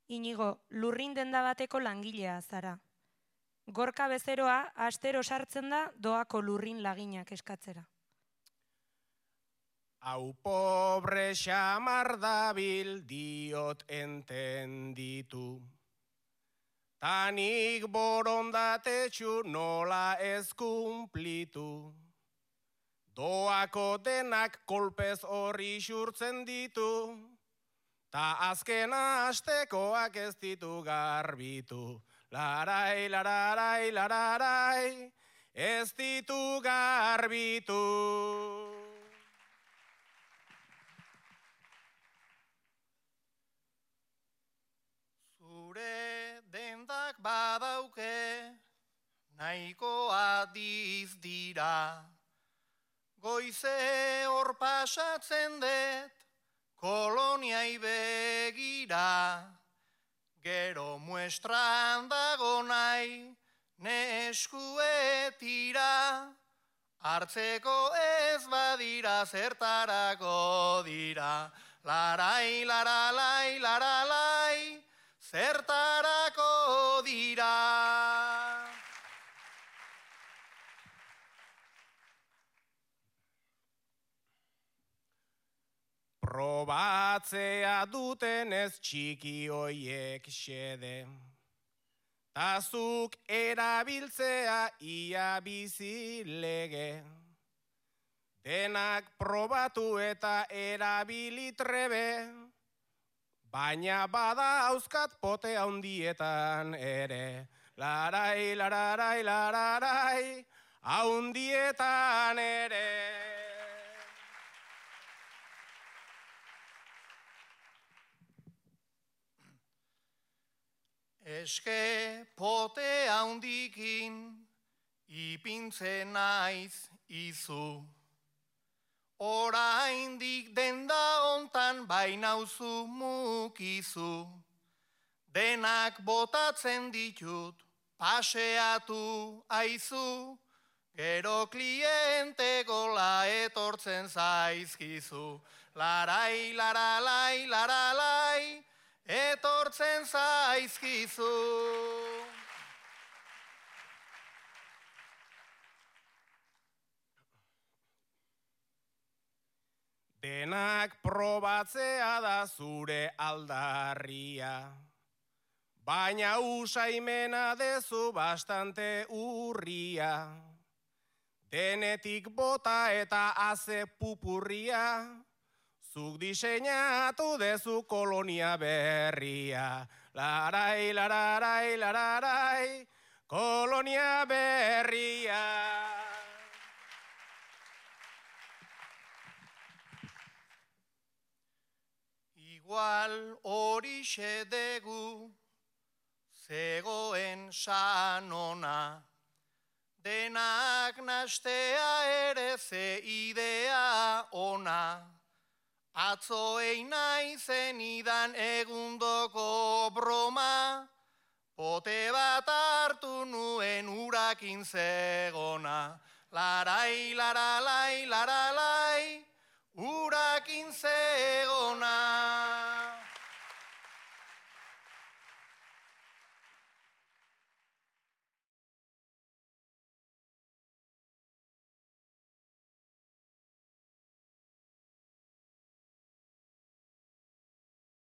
Inigo, lurrin denda bateko langilea zara. Gorka bezeroa astero sartzen da doako lurrin laginak eskatzera. Hau pobre xamar dabil diot entenditu. Tanik borondatetxu nola ez kumplitu. Doako denak kolpez horri xurtzen ditu. Ta azkena astekoak ez ditu garbitu. Larai, lararai, lararai, ez ditu garbitu. Zure dendak badauke, nahiko adiz dira. Goize hor pasatzen dut, koloniai begira. Gero muestran dago nahi, neskuetira. Hartzeko ez badira, zertarako dira. Larai, laralai, laralai, zertarako dira. Probatzea duten ez txiki hoiek xede. Tazuk erabiltzea ia bizi lege. Denak probatu eta erabili trebe. Baina bada hauzkat pote haundietan ere. Larai, lararai, lararai, haundietan ere. Eske pote haundikin ipintzen naiz izu. Oraindik denda hontan bainauzu mukizu. Denak botatzen ditut paseatu aizu. Gero kliente gola etortzen zaizkizu. Larai, laralai, laralai, etortzen zaizkizu. Denak probatzea da zure aldarria. Baina usaimena dezu bastante urria. Denetik bota eta haze pupurria. Zuk diseinatu dezu kolonia berria. Larai, lararai, lararai, kolonia berria. Igual horixe degu, zegoen sanona. Denak nastea ere ze idea ona. Atzo naizen idan egundoko broma, pote bat hartu nuen urakin zegona. Larai, laralai, laralai, urakin zegona.